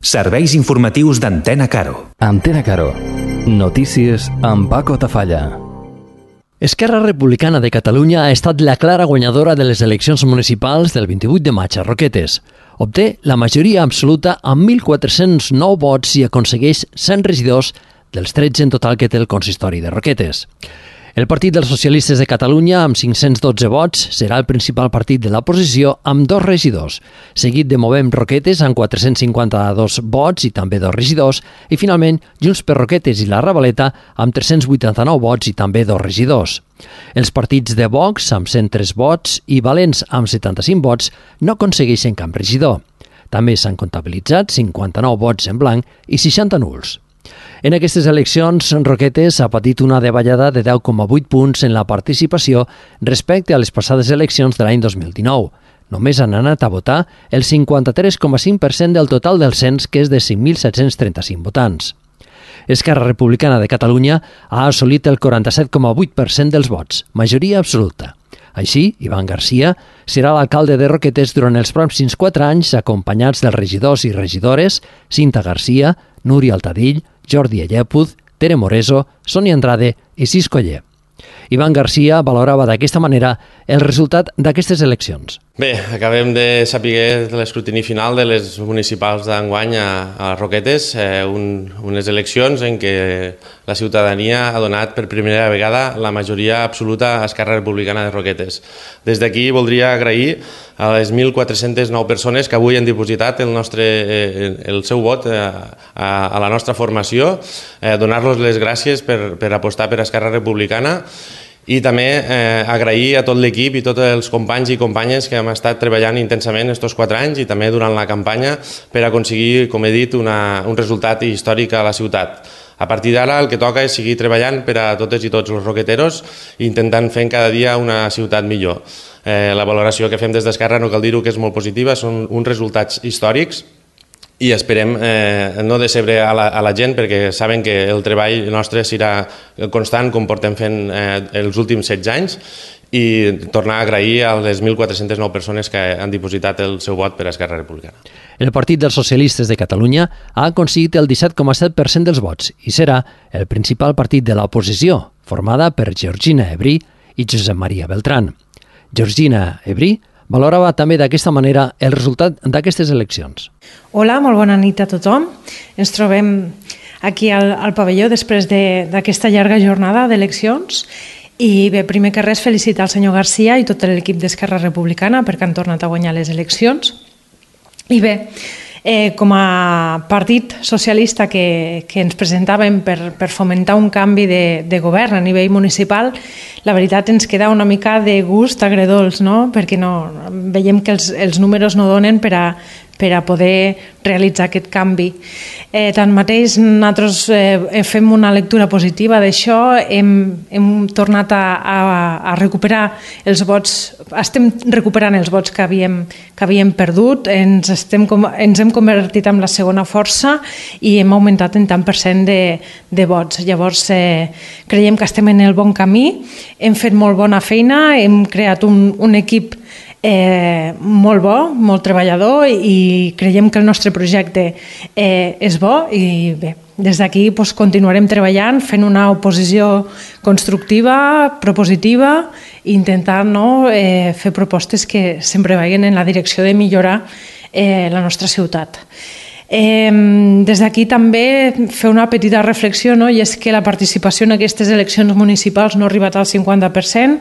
Serveis informatius d'Antena Caro. Antena Caro. Notícies amb Paco Tafalla. Esquerra Republicana de Catalunya ha estat la clara guanyadora de les eleccions municipals del 28 de maig a Roquetes. Obté la majoria absoluta amb 1.409 vots i aconsegueix 100 regidors dels 13 en total que té el consistori de Roquetes. El Partit dels Socialistes de Catalunya, amb 512 vots, serà el principal partit de l'oposició amb 2 regidors, seguit de Movem Roquetes amb 452 vots i també 2 regidors, i finalment Junts per Roquetes i la Ravaleta amb 389 vots i també 2 regidors. Els partits de Vox, amb 103 vots, i Valents, amb 75 vots, no aconsegueixen cap regidor. També s'han comptabilitzat 59 vots en blanc i 60 nuls. En aquestes eleccions, Roquetes ha patit una davallada de 10,8 punts en la participació respecte a les passades eleccions de l'any 2019. Només han anat a votar el 53,5% del total del cens, que és de 5.735 votants. Esquerra Republicana de Catalunya ha assolit el 47,8% dels vots, majoria absoluta. Així, Ivan Garcia serà l'alcalde de Roquetes durant els pròxims 4 anys, acompanyats dels regidors i regidores Cinta Garcia, Núria Altadill, Jordi Allèpuz, Tere Moreso, Sònia Andrade i Cis Coller. Ivan Garcia valorava d'aquesta manera el resultat d'aquestes eleccions. Bé, acabem de saber l'escrutini final de les municipals d'enguany a Roquetes, unes eleccions en què la ciutadania ha donat per primera vegada la majoria absoluta a Esquerra Republicana de Roquetes. Des d'aquí voldria agrair a les 1.409 persones que avui han dipositat el seu vot a la nostra formació, donar-los les gràcies per apostar per Esquerra Republicana, i també agrair a tot l'equip i tots els companys i companyes que hem estat treballant intensament aquests 4 anys i també durant la campanya per aconseguir, com he dit, un resultat històric a la ciutat. A partir d'ara el que toca és seguir treballant per a totes i tots els roqueteros i intentant fer cada dia una ciutat millor. La valoració que fem des d'Esquerra, no cal dir-ho, que és molt positiva, són uns resultats històrics i esperem no decebre a la gent, perquè saben que el treball nostre serà constant com portem fent els últims 16 anys, i tornar a agrair a les 1.409 persones que han dipositat el seu vot per a Esquerra Republicana. El Partit dels Socialistes de Catalunya ha aconseguit el 17,7% dels vots i serà el principal partit de l'oposició, formada per Georgina Ebrí i Josep Maria Beltrán. Georgina Ebrí valorava també d'aquesta manera el resultat d'aquestes eleccions. Hola, molt bona nit a tothom. Ens trobem aquí al pavelló després d'aquesta llarga jornada d'eleccions. I bé, primer que res, felicitar el senyor Garcia i tot l'equip d'Esquerra Republicana perquè han tornat a guanyar les eleccions. I bé, com a partit socialista que ens presentàvem per fomentar un canvi de govern a nivell municipal, la veritat ens queda una mica de gust agredolç, no? Perquè veiem que els números no donen per a poder realitzar aquest canvi. Tanmateix, nosaltres fem una lectura positiva d'això, hem tornat a recuperar els vots, estem recuperant els vots que havíem perdut, ens hem convertit en la segona força i hem augmentat en tant per cent de vots. Llavors, creiem que estem en el bon camí, hem fet molt bona feina, hem creat un equip molt bo, molt treballador, i creiem que el nostre projecte és bo i bé, des d'aquí continuarem treballant, fent una oposició constructiva, propositiva, i intentant fer propostes que sempre vagin en la direcció de millorar la nostra ciutat. Des d'aquí també fer una petita reflexió, i és que la participació en aquestes eleccions municipals no ha arribat al 50%,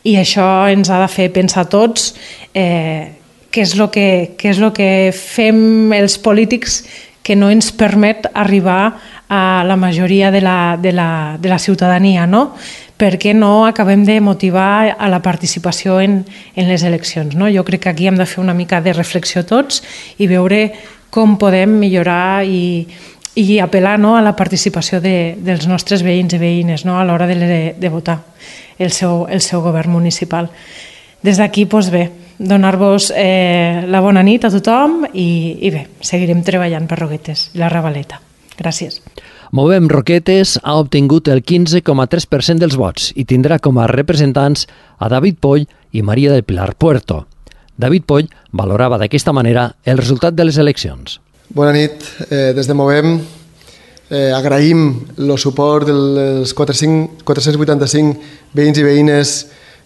i això ens ha de fer pensar a tots què és el que fem els polítics que no ens permet arribar a la majoria de la ciutadania, no? Per què no acabem de motivar a la participació en les eleccions, no? Jo crec que aquí hem de fer una mica de reflexió tots i veure com podem millorar i apel·lar a la participació dels nostres veïns i veïnes a l'hora de votar el seu govern municipal. Des d'aquí, bé, donar-vos la bona nit a tothom i bé, seguirem treballant per Roquetes i la Ravaleta. Gràcies. Movem Roquetes ha obtingut el 15,3% dels vots i tindrà com a representants a David Poll i Maria del Pilar Puerto. David Poll valorava d'aquesta manera el resultat de les eleccions. Bona nit. Des de Movem agraïm el suport dels 485 veïns i veïnes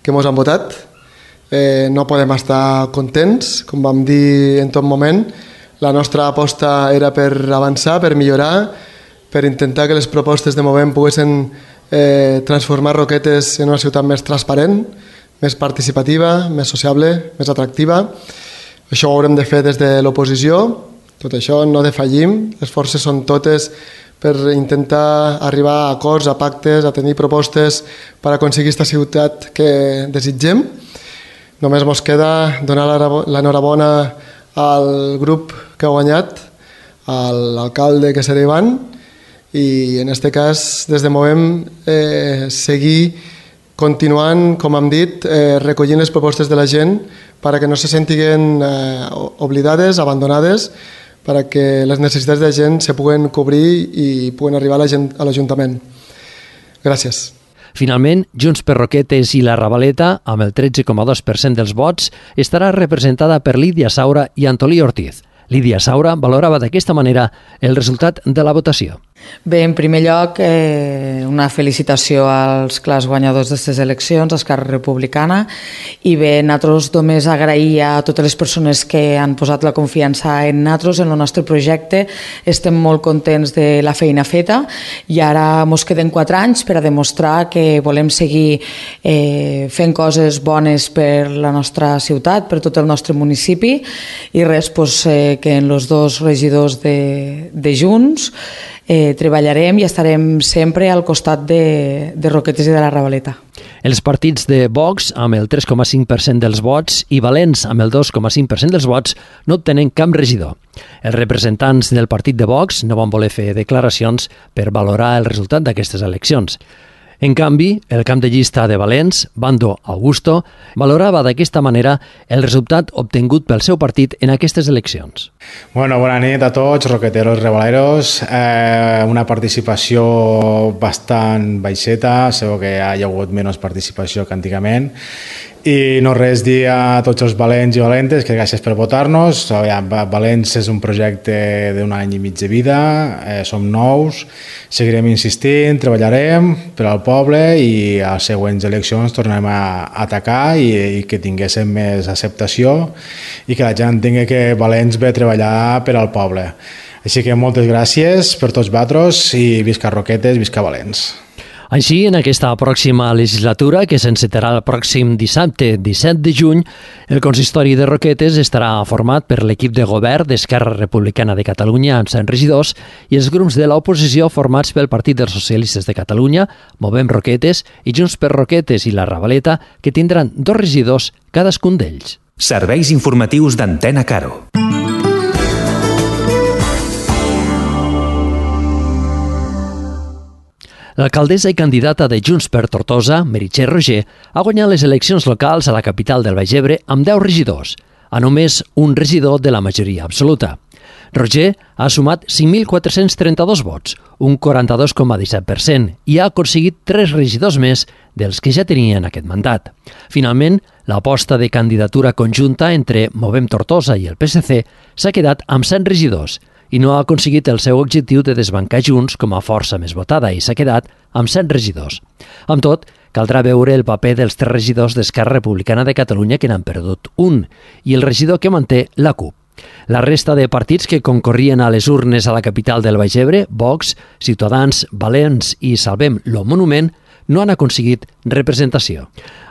que ens han votat. No podem estar contents, com vam dir en tot moment. La nostra aposta era per avançar, per millorar, per intentar que les propostes de Movem poguessin transformar Roquetes en una ciutat més transparent, més participativa, més sociable, més atractiva. Això ho haurem de fer des de l'oposició. Tot això no defallim, les forces són totes per intentar arribar a acords, a pactes, a tenir propostes per aconseguir aquesta ciutat que desitgem. Només ens queda donar l'enhorabona al grup que ha guanyat, a l'alcalde que serà Ivan, i en aquest cas des de Movem seguir continuant, com hem dit, recollint les propostes de la gent perquè no se sentiguen oblidades, abandonades, perquè les necessitats de la gent se puguen cobrir i puguen arribar a la gent a l'Ajuntament. Gràcies. Finalment, Junts per Roquetes i la Ravaleta, amb el 13,2% dels vots, estarà representada per Lídia Saura i Antolí Ortiz. Lídia Saura valorava d'aquesta manera el resultat de la votació. Bé, en primer lloc, una felicitació als clars guanyadors d'aquestes eleccions, Esquerra Republicana, i bé, nosaltres només agrair a totes les persones que han posat la confiança en nosaltres, en el nostre projecte. Estem molt contents de la feina feta i ara ens queden 4 anys per a demostrar que volem seguir fent coses bones per la nostra ciutat, per tot el nostre municipi, i res, que en els 2 regidors de Junts treballarem i estarem sempre al costat de Roquetes i de la Ravaleta. Els partits de Vox, amb el 3,5% dels vots, i Valens, amb el 2,5% dels vots, no obtenen cap regidor. Els representants del partit de Vox no van voler fer declaracions per valorar el resultat d'aquestes eleccions. En canvi, el camp de llista de Valens, Bando Augusto, valorava d'aquesta manera el resultat obtingut pel seu partit en aquestes eleccions. Bona nit a tots, roqueteros, rebaleros. Una participació bastant baixeta, segur que hi ha hagut menys participació que antigament. I no res dir a tots els valents i valentes que gràcies per votar-nos. Valents és un projecte d'un any i mig de vida, som nous, seguirem insistint, treballarem per al poble i a les següents eleccions tornarem a atacar i que tinguéssim més acceptació i que la gent tingui que Valents ve a treballar per al poble. Així que moltes gràcies per tots vosaltres i visca Roquetes, visca Valents. Així, en aquesta pròxima legislatura, que s'encetarà el pròxim dissabte 17 de juny, el consistori de Roquetes estarà format per l'equip de govern d'Esquerra Republicana de Catalunya amb 100 regidors i els grups de l'oposició formats pel Partit dels Socialistes de Catalunya, Movem Roquetes i Junts per Roquetes i la Ravaleta, que tindran 2 regidors cadascun d'ells. Serveis informatius d'Antena Caro. L'alcaldessa i candidata de Junts per Tortosa, Meritxell Roger, ha guanyat les eleccions locals a la capital del Baix Ebre amb 10 regidors, a només un regidor de la majoria absoluta. Roger ha sumat 5.432 vots, un 42,17%, i ha aconseguit 3 regidors més dels que ja tenien aquest mandat. Finalment, l'aposta de candidatura conjunta entre Movem Tortosa i el PSC s'ha quedat amb 100 regidors, i no ha aconseguit el seu objectiu de desbancar Junts com a força més votada i s'ha quedat amb 100 regidors. Amb tot, caldrà veure el paper dels 3 regidors d'Esquerra Republicana de Catalunya que n'han perdut un i el regidor que manté la CUP. La resta de partits que concorrien a les urnes a la capital del Baix Ebre, Vox, Ciutadans, Valents i Salvem lo Monument, no han aconseguit representació.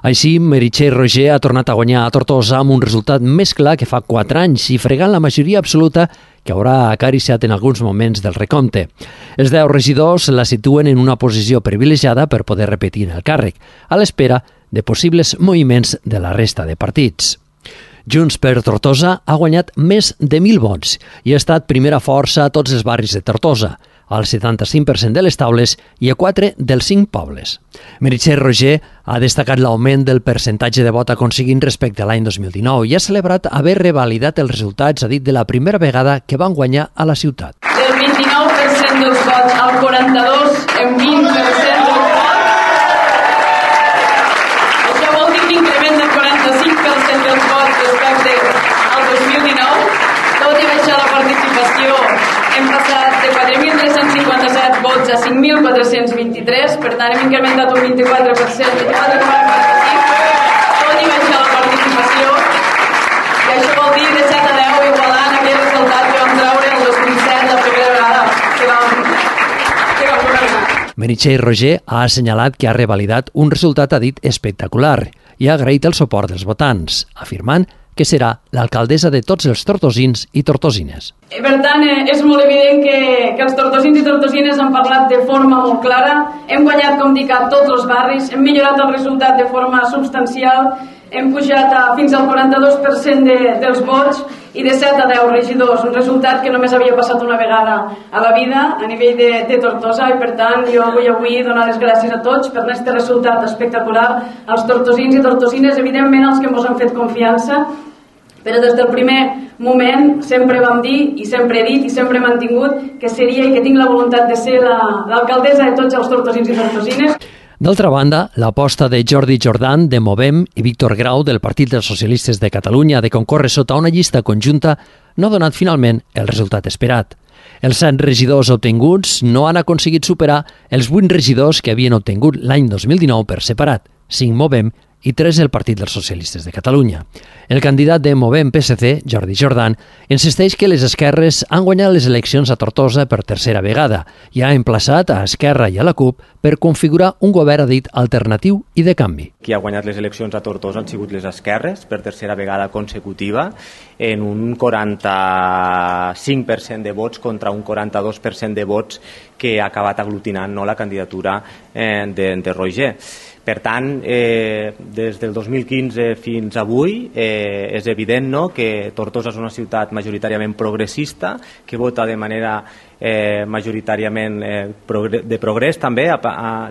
Així, Meritxell Roger ha tornat a guanyar a Tortosa amb un resultat més clar que fa 4 anys i fregant la majoria absoluta que haurà acariciat en alguns moments del recompte. Els 10 regidors la situen en una posició privilegiada per poder repetir el càrrec, a l'espera de possibles moviments de la resta de partits. Junts per Tortosa ha guanyat més de 1.000 vots i ha estat primera força a tots els barris de Tortosa, al 75% de les taules i a 4 dels 5 pobles. Meritxell Roger ha destacat l'augment del percentatge de vot aconseguint respecte a l'any 2019 i ha celebrat haver revalidat els resultats, ha dit, de la primera vegada que van guanyar a la ciutat. Del 29% dels vots al 42% en 20% dels vots. Això vol dir que increment del 45% dels vots respecte al 2019, tot i baixar la participació vots a 5.423, per tant hem incrementat un 24%, 24,45%, tot i baixar la participació, i això vol dir de 7 a 10 igualant aquell resultat que vam treure el 2007 la primera vegada que vam governar. Meritxell Roger ha assenyalat que ha revalidat un resultat, ha dit, espectacular i ha agraït el suport dels votants, afirmant que serà l'alcaldessa de tots els tortosins i tortosines. Per tant, és molt evident que els tortosins i tortosines han parlat de forma molt clara. Hem guanyat, com dic, a tots els barris, hem millorat el resultat de forma substancial, hem pujat fins al 42% dels vots i de 7 a 10 regidors, un resultat que només havia passat una vegada a la vida a nivell de Tortosa, i per tant jo vull avui donar les gràcies a tots per aquest resultat espectacular, als tortosins i tortosines, evidentment als que ens han fet confiança, però des del primer moment sempre vam dir i sempre he dit i sempre he mantingut que seria i que tinc la voluntat de ser l'alcaldessa de tots els tortosins i tortosines. D'altra banda, l'aposta de Jordi Jordan, de Movem, i Víctor Grau, del Partit dels Socialistes de Catalunya, de concórrer sota una llista conjunta, no ha donat finalment el resultat esperat. Els 7 regidors obtinguts no han aconseguit superar els 8 regidors que havien obtingut l'any 2019 per separat, 5 Movem i 3 el Partit dels Socialistes de Catalunya. El candidat de Movem PSC, Jordi Jordan, insisteix que les esquerres han guanyat les eleccions a Tortosa per tercera vegada i ha emplaçat a Esquerra i a la CUP per configurar un govern, ha dit, alternatiu i de canvi. Qui ha guanyat les eleccions a Tortosa han sigut les esquerres per tercera vegada consecutiva en un 45% de vots contra un 42% de vots que ha acabat aglutinant la candidatura de Roger. Per tant, des del 2015 fins avui és evident que Tortosa és una ciutat majoritàriament progressista, que vota de manera majoritàriament de progrés també.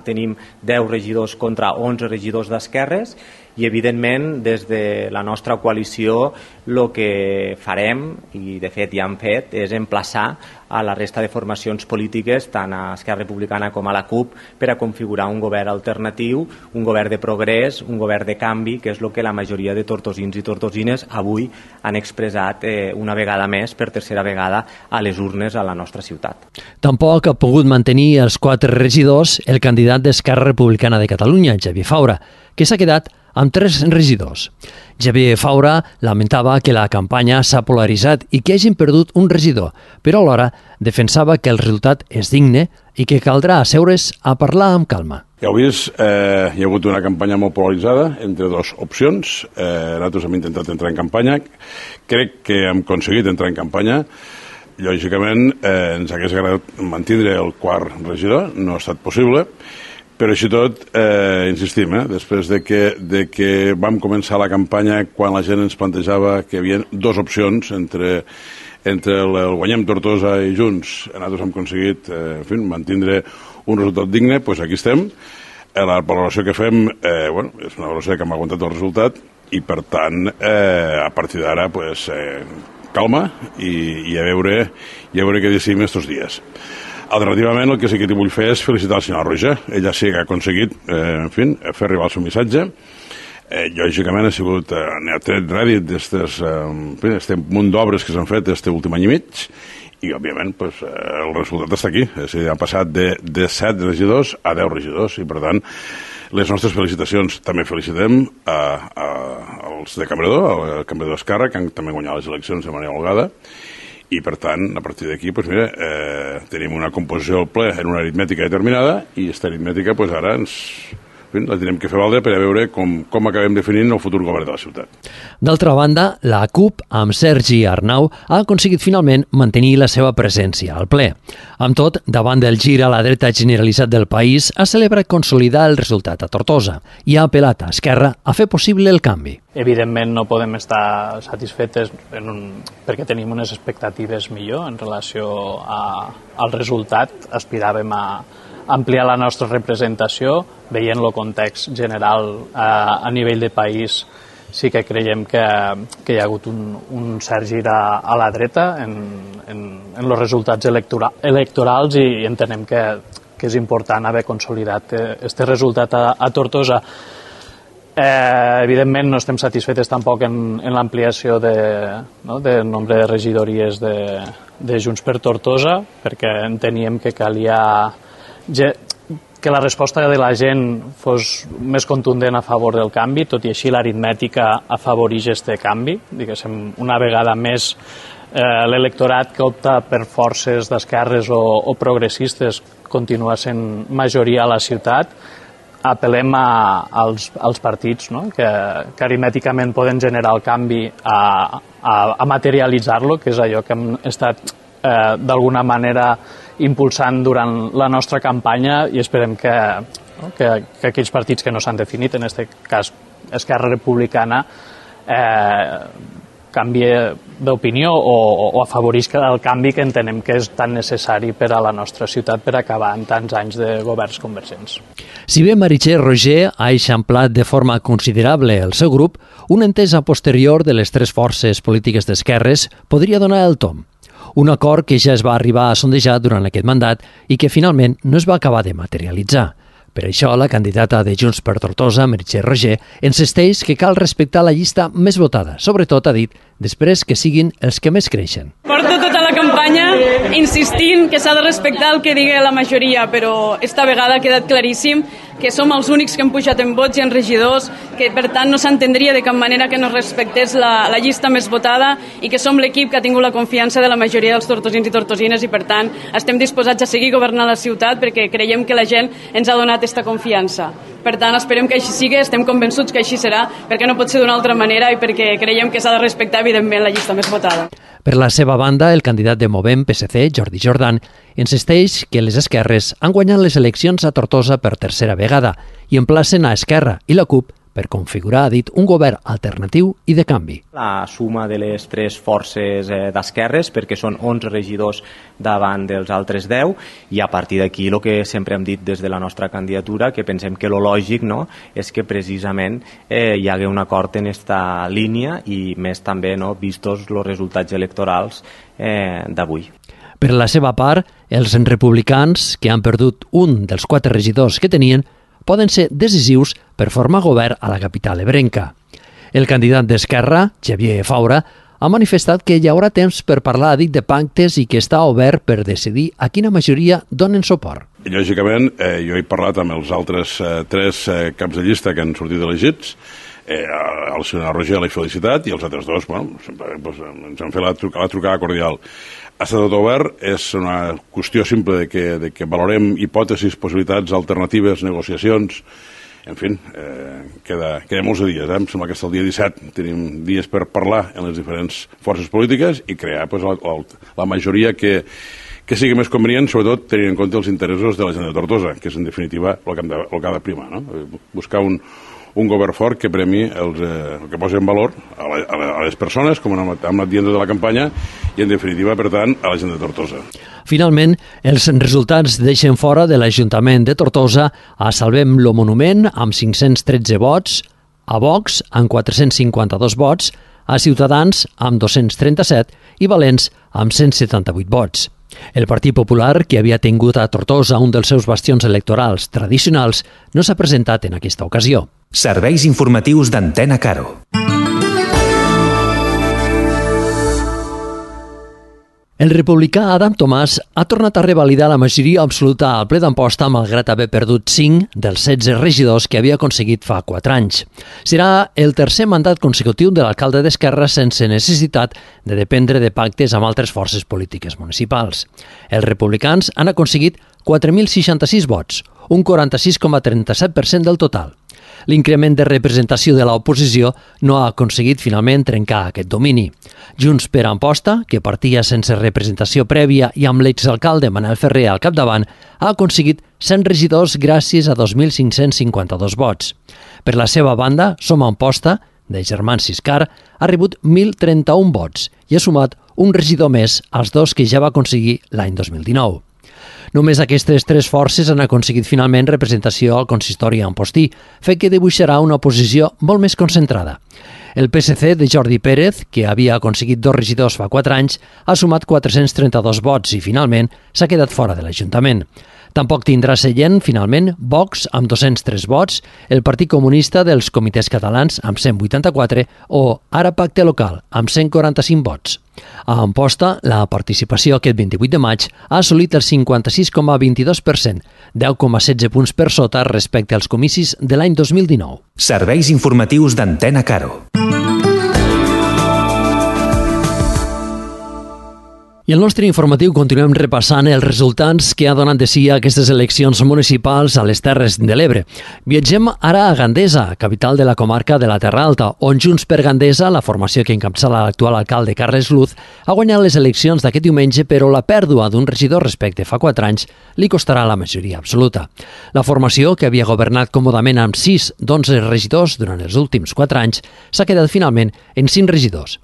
Tenim 10 regidors contra 11 regidors d'esquerres i evidentment des de la nostra coalició el que farem, i de fet ja hem fet, és emplaçar a la resta de formacions polítiques, tant a Esquerra Republicana com a la CUP, per a configurar un govern alternatiu, un govern de progrés, un govern de canvi, que és el que la majoria de tortosins i tortosines avui han expressat una vegada més, per tercera vegada, a les urnes a la nostra ciutat. Tampoc ha pogut mantenir els 4 regidors el candidat d'Esquerra Republicana de Catalunya, Xavier Faura, que s'ha quedat amb 3 regidors. Xavier Faura lamentava que la campanya s'ha polaritzat i que hagin perdut un regidor, però alhora defensava que el resultat és digne i que caldrà asseure's a parlar amb calma. Ja heu vist, hi ha hagut una campanya molt polaritzada entre 2 opcions. Nosaltres hem intentat entrar en campanya. Crec que hem aconseguit entrar en campanya. Lògicament, ens hagués agradat mantindre el 4 regidor, no ha estat possible. Però així tot, insistim, després de que vam començar la campanya, quan la gent ens plantejava que hi havia 2 opcions entre el Guanyem Tortosa i Junts, nosaltres hem aconseguit mantindre un resultat digne, doncs aquí estem. La valoració que fem és una valoració que hem aguantat el resultat i, per tant, a partir d'ara, calma i a veure què decidim aquests dies. Alternativament, el que sí que t'hi vull fer és felicitar el senyor Roger. Ella sí que ha aconseguit fer arribar el seu missatge. Lògicament ha sigut tret rèdit d'aquest munt d'obres que s'han fet aquest últim any i mig i, òbviament, el resultat està aquí. És a dir, ha passat de 7 regidors a 10 regidors i, per tant, les nostres felicitacions. També felicitem als de Cambredor, al Cambredor Esquerra, que han també guanyat les eleccions de manera holgada. I, per tant, a partir d'aquí, tenim una composició del ple en una aritmètica determinada i aquesta aritmètica, ara la tenim que fer valdre per a veure com acabem definint el futur govern de la ciutat. D'altra banda, la CUP, amb Sergi Arnau, ha aconseguit finalment mantenir la seva presència al ple. Amb tot, davant del gir a la dreta generalitzat del país, ha celebrat consolidar el resultat a Tortosa i ha apel·lat a Esquerra a fer possible el canvi. Evidentment no podem estar satisfetes perquè tenim unes expectatives millor en relació al resultat. Aspiràvem a ampliar la nostra representació, veient el context general a nivell de país. Sí que creiem que hi ha hagut un cert gir a la dreta en els resultats electorals i entenem que és important haver consolidat aquest resultat a Tortosa. Evidentment no estem satisfetes tampoc en l'ampliació del nombre de regidories de Junts per Tortosa, perquè enteníem que calia que la resposta de la gent fos més contundent a favor del canvi, tot i així l'aritmètica afavoreix aquest canvi. Diguéssim, una vegada més l'electorat que opta per forces d'esquerres o progressistes continua sent majoria a la ciutat. Apel·lem als partits, no? que aritmèticament poden generar el canvi a materialitzar-lo, que és allò que hem estat d'alguna manera impulsant durant la nostra campanya, i esperem que aquells partits que no s'han definit, en aquest cas Esquerra Republicana, canvie d'opinió o afavorisca el canvi que entenem que és tan necessari per a la nostra ciutat per acabar en tants anys de governs convergents. Si bé Meritxell Roger ha eixamplat de forma considerable el seu grup, una entesa posterior de les tres forces polítiques d'esquerres podria donar el tomb. Un acord que ja es va arribar a sondejar durant aquest mandat i que finalment no es va acabar de materialitzar. Per això, la candidata de Junts per Tortosa, Meritxell Roger, insisteix que cal respectar la llista més votada, sobretot, ha dit, després que siguin els que més creixen. Porto tota la campanya insistint que s'ha de respectar el que digui la majoria, però esta vegada ha quedat claríssim que som els únics que hem pujat en vots i en regidors, que per tant no s'entendria de cap manera que no respectés la llista més votada i que som l'equip que ha tingut la confiança de la majoria dels tortosins i tortosines i per tant estem disposats a seguir governant la ciutat perquè creiem que la gent ens ha donat aquesta confiança. Per tant, esperem que així sigui, estem convençuts que així serà, perquè no pot ser d'una altra manera i perquè creiem que s'ha de respectar, evidentment, la llista més votada. Per la seva banda, el candidat de Movem PSC, Jordi Jordan, insisteix que les esquerres han guanyat les eleccions a Tortosa per tercera vegada i emplacen a Esquerra i la CUP per configurar, ha dit, un govern alternatiu i de canvi. La suma de les tres forces d'esquerres, perquè són 11 regidors davant dels altres 10, i a partir d'aquí el que sempre hem dit des de la nostra candidatura, que pensem que lo lògic, no, és que precisament hi hagi un acord en aquesta línia i més també, no, vistos els resultats electorals d'avui. Per la seva part, els republicans, que han perdut un dels 4 regidors que tenien, poden ser decisius per formar govern a la capital ebrenca. El candidat d'Esquerra, Xavier Faura, ha manifestat que hi haurà temps per parlar, ha dit, de pactes i que està obert per decidir a quina majoria donen suport. I, lògicament, jo he parlat amb els altres 3 caps de llista que han sortit elegits, el senyor Roger l'he felicitat i els altres 2, bueno, ens han fet la trucada cordial. Està tot obert, és una qüestió simple de que valorem hipòtesis, possibilitats, alternatives, negociacions, en fi, queda molts dies, em sembla que està el dia 17, tenim dies per parlar en les diferents forces polítiques i crear la majoria que sigui més convenient, sobretot tenint en compte els interessos de la gent de Tortosa, que és en definitiva el que ha de primar, no? Buscar un govern fort que premi que posi en valor a les persones, com hem anat dient de la campanya, i en definitiva, per tant, a la gent de Tortosa. Finalment, els resultats deixen fora de l'Ajuntament de Tortosa a Salvem lo Monument amb 513 vots, a Vox amb 452 vots, a Ciutadans amb 237 i Valents amb 178 vots. El Partit Popular, que havia tingut a Tortosa un dels seus bastions electorals tradicionals, no s'ha presentat en aquesta ocasió. Serveis informatius d'Antena Caro. El republicà Adam Tomàs ha tornat a revalidar la majoria absoluta al ple d'Amposta malgrat haver perdut 5 dels 16 regidors que havia aconseguit fa 4 anys. Serà el tercer mandat consecutiu de l'alcalde d'Esquerra sense necessitat de dependre de pactes amb altres forces polítiques municipals. Els republicans han aconseguit 4.066 vots, un 46,37% del total. L'increment de representació de l'oposició no ha aconseguit finalment trencar aquest domini. Junts per Amposta, que partia sense representació prèvia i amb l'exalcalde Manel Ferrer al capdavant, ha aconseguit 100 regidors gràcies a 2.552 vots. Per la seva banda, Som Amposta, de Germans Siscar, ha rebut 1.031 vots i ha sumat un regidor més als 2 que ja va aconseguir l'any 2019. Només aquestes 3 forces han aconseguit finalment representació al consistori ampostí, fet que dibuixarà una oposició molt més concentrada. El PSC de Jordi Pérez, que havia aconseguit 2 regidors fa 4 anys, ha sumat 432 vots i finalment s'ha quedat fora de l'Ajuntament. Tampoc tindrà seient, finalment, Vox amb 203 vots, el Partit Comunista dels Comitès Catalans amb 184 o Ara Pacte Local amb 145 vots. A Amposta, la participació aquest 28 de maig ha assolit el 56,22%, 10,16 punts per sota respecte als comicis de l'any 2019. Serveis informatius d'Antena Caro. I el nostre informatiu continuem repassant els resultats que ha donat de si aquestes eleccions municipals a les Terres de l'Ebre. Viatgem ara a Gandesa, capital de la comarca de la Terra Alta, on Junts per Gandesa, la formació que encapçala l'actual alcalde Carles Luz, ha guanyat les eleccions d'aquest diumenge, però la pèrdua d'un regidor respecte fa 4 anys li costarà la majoria absoluta. La formació, que havia governat còmodament amb 6 d'11 regidors durant els últims 4 anys, s'ha quedat finalment en 5 regidors.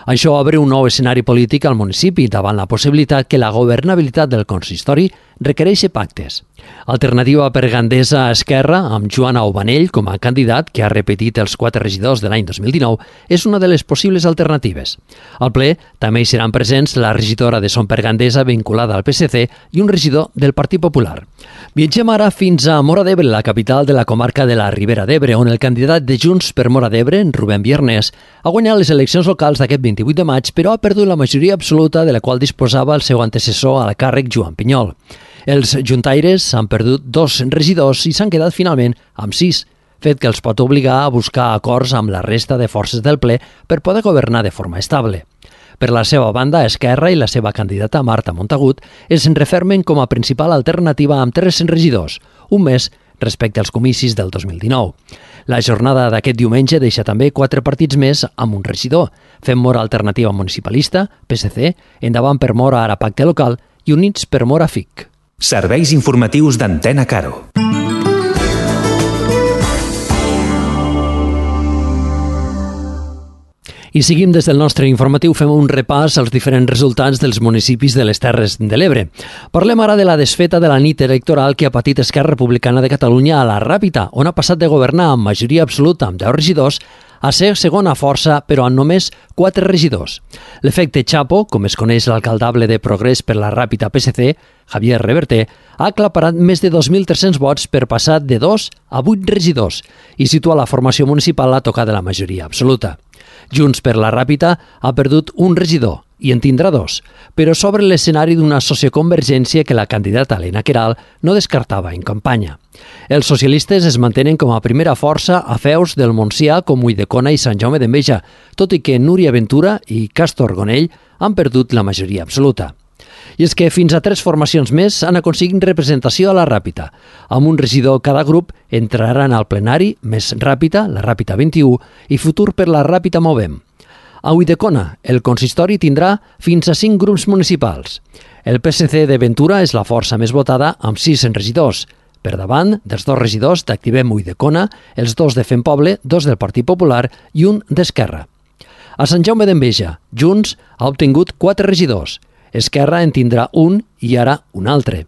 Això obre un nou escenari polític al municipi davant la possibilitat que la governabilitat del consistori requereix pactes. Alternativa per Gandesa a Esquerra, amb Joan Aubanell com a candidat, que ha repetit els 4 regidors de l'any 2019, és una de les possibles alternatives. Al ple també hi seran presents la regidora de Som per Gandesa vinculada al PSC i un regidor del Partit Popular. Viatgem ara fins a Móra d'Ebre, la capital de la comarca de la Ribera d'Ebre, on el candidat de Junts per Móra d'Ebre, Rubén Viernes, ha guanyat les eleccions locals d'aquest 28 de maig, però ha perdut la majoria absoluta de la qual disposava el seu antecessor al càrrec, Joan Pinyol. Els juntaires han perdut 2 regidors i s'han quedat finalment amb 6, fet que els pot obligar a buscar acords amb la resta de forces del ple per poder governar de forma estable. Per la seva banda, Esquerra i la seva candidata Marta Montagut es refermen com a principal alternativa amb 3 regidors, un més respecte als comicis del 2019. La jornada d'aquest diumenge deixa també 4 partits més amb un regidor, Fem Móra Alternativa Municipalista, PSC, Endavant per Móra Ara Pacte Local i Units per Móra FIC. Serveis informatius d'Antena Caro. I seguim des del nostre informatiu, fem un repàs als diferents resultats dels municipis de les Terres de l'Ebre. Parlem ara de la desfeta de la nit electoral que ha patit Esquerra Republicana de Catalunya a la Ràpita, on ha passat de governar amb majoria absoluta amb 10 regidors a ser segona força, però amb només 4 regidors. L'efecte Chapo, com es coneix l'alcaldable de Progrés per la Ràpita PSC, Javier Reverter, ha aclaparat més de 2.300 vots per passar de 2 a 8 regidors i situa la formació municipal a tocar de la majoria absoluta. Junts per la Ràpita ha perdut un regidor i en tindrà 2, però s'obre l'escenari d'una socioconvergència que la candidata Helena Queralt no descartava en campanya. Els socialistes es mantenen com a primera força a feus del Montsià com Ulldecona i Sant Jaume d'Enveja, tot i que Núria Ventura i Castor Gonell han perdut la majoria absoluta. I és que fins a 3 formacions més han aconseguit representació a la Ràpita. Amb un regidor cada grup entraran al plenari més Ràpita, la Ràpita 21, i Futur per la Ràpita Movem. A Ulldecona, el consistori tindrà fins a 5 grups municipals. El PSC de Ventura és la força més votada amb 6 regidors. Per davant dels 2 regidors d'Activem Ulldecona, els 2 de Fem Poble, 2 del Partit Popular i un d'Esquerra. A Sant Jaume d'Enveja, Junts ha obtingut 4 regidors. Esquerra en tindrà un i ara un altre.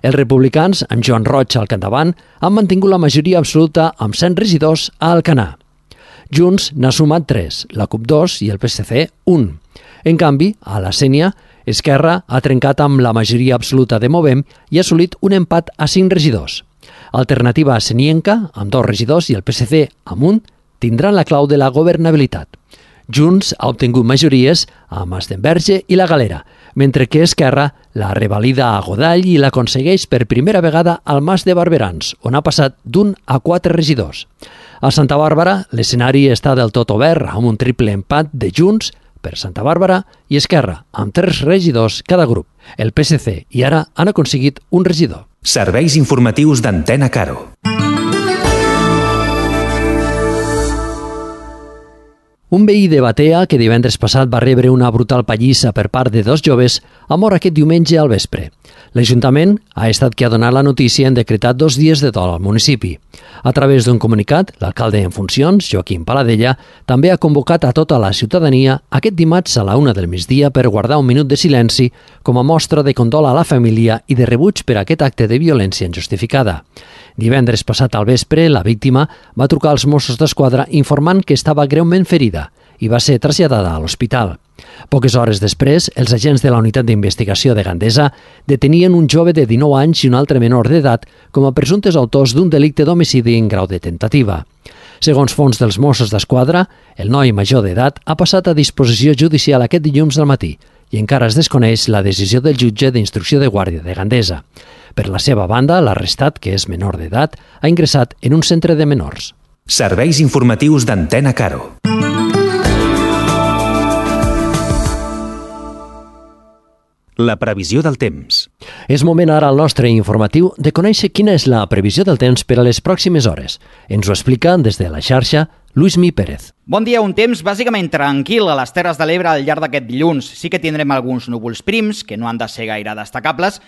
Els republicans, amb Joan Roig al capdavant, han mantingut la majoria absoluta amb 100 regidors a Alcanar. Junts n'ha sumat 3, la CUP 2 i el PSC 1. En canvi, a la Sénia, Esquerra ha trencat amb la majoria absoluta de Movem i ha assolit un empat a 5 regidors. Alternativa senienca, amb 2 regidors, i el PSC amb un, tindran la clau de la governabilitat. Junts ha obtingut majories a Masdenverge i la Galera, mentre que Esquerra la revalida a Godall i l'aconsegueix per primera vegada al Mas de Barberans, on ha passat d'1 a 4 regidors. A Santa Bàrbara, l'escenari està del tot obert amb un triple empat de Junts per Santa Bàrbara i Esquerra, amb 3 regidors cada grup. El PSC i ara han aconseguit un regidor. Serveis informatius d'Antena Caro. Un veí de Batea, que divendres passat va rebre una brutal pallissa per part de 2 joves, ha mort aquest diumenge al vespre. L'Ajuntament ha estat qui ha donat la notícia en decretat 2 dies de dol al municipi. A través d'un comunicat, l'alcalde en funcions, Joaquim Paladella, també ha convocat a tota la ciutadania aquest dimarts a la 1 del migdia per guardar un minut de silenci com a mostra de condol a la família i de rebuig per aquest acte de violència injustificada. Divendres passat al vespre, la víctima va trucar als Mossos d'Esquadra informant que estava greument ferida i va ser traslladada a l'hospital. Poques hores després, els agents de la Unitat d'Investigació de Gandesa detenien un jove de 19 anys i un altre menor d'edat com a presumptes autors d'un delicte d'homicidi en grau de tentativa. Segons fonts dels Mossos d'Esquadra, el noi major d'edat ha passat a disposició judicial aquest dilluns al matí i encara es desconeix la decisió del jutge d'instrucció de Guàrdia de Gandesa. Per la seva banda, l'arrestat, que és menor d'edat, ha ingressat en un centre de menors. Serveis informatius d'Antena Caro. La previsió del temps. És moment ara al nostre informatiu de conèixer quina és la previsió del temps per a les pròximes hores. Ens ho explica des de la xarxa Luismi Pérez. Bon dia, un temps bàsicament tranquil a les Terres de l'Ebre al llarg d'aquest dilluns. Sí que tindrem alguns núvols prims, que no han de ser gaire destacables,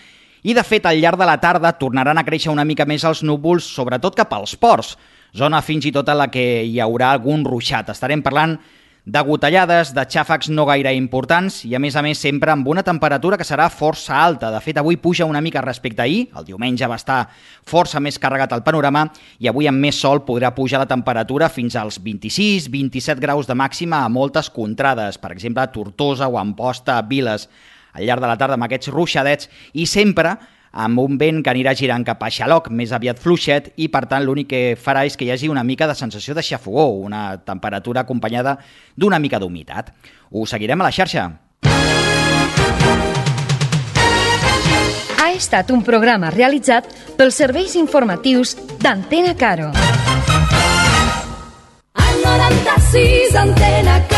i de fet al llarg de la tarda tornaran a créixer una mica més els núvols, sobretot cap als ports, zona fins i tot a la que hi haurà algun ruixat. Estarem parlant de gotellades, de xàfecs no gaire importants i a més sempre amb una temperatura que serà força alta. De fet, avui puja una mica respecte a ahir, el diumenge va estar força més carregat el panorama i avui amb més sol podrà pujar la temperatura fins als 26-27 graus de màxima a moltes contrades, per exemple a Tortosa o a Amposta, a Viles, al llarg de la tarda amb aquests ruixadets i sempre amb un vent que anirà girant cap a Xaloc, més aviat fluixet, i per tant l'únic que farà és que hi hagi una mica de sensació de xafogor, una temperatura acompanyada d'una mica d'humitat. Ho seguirem a la xarxa. Ha estat un programa realitzat pels serveis informatius d'Antena Caro. Al 96 Antena Caro.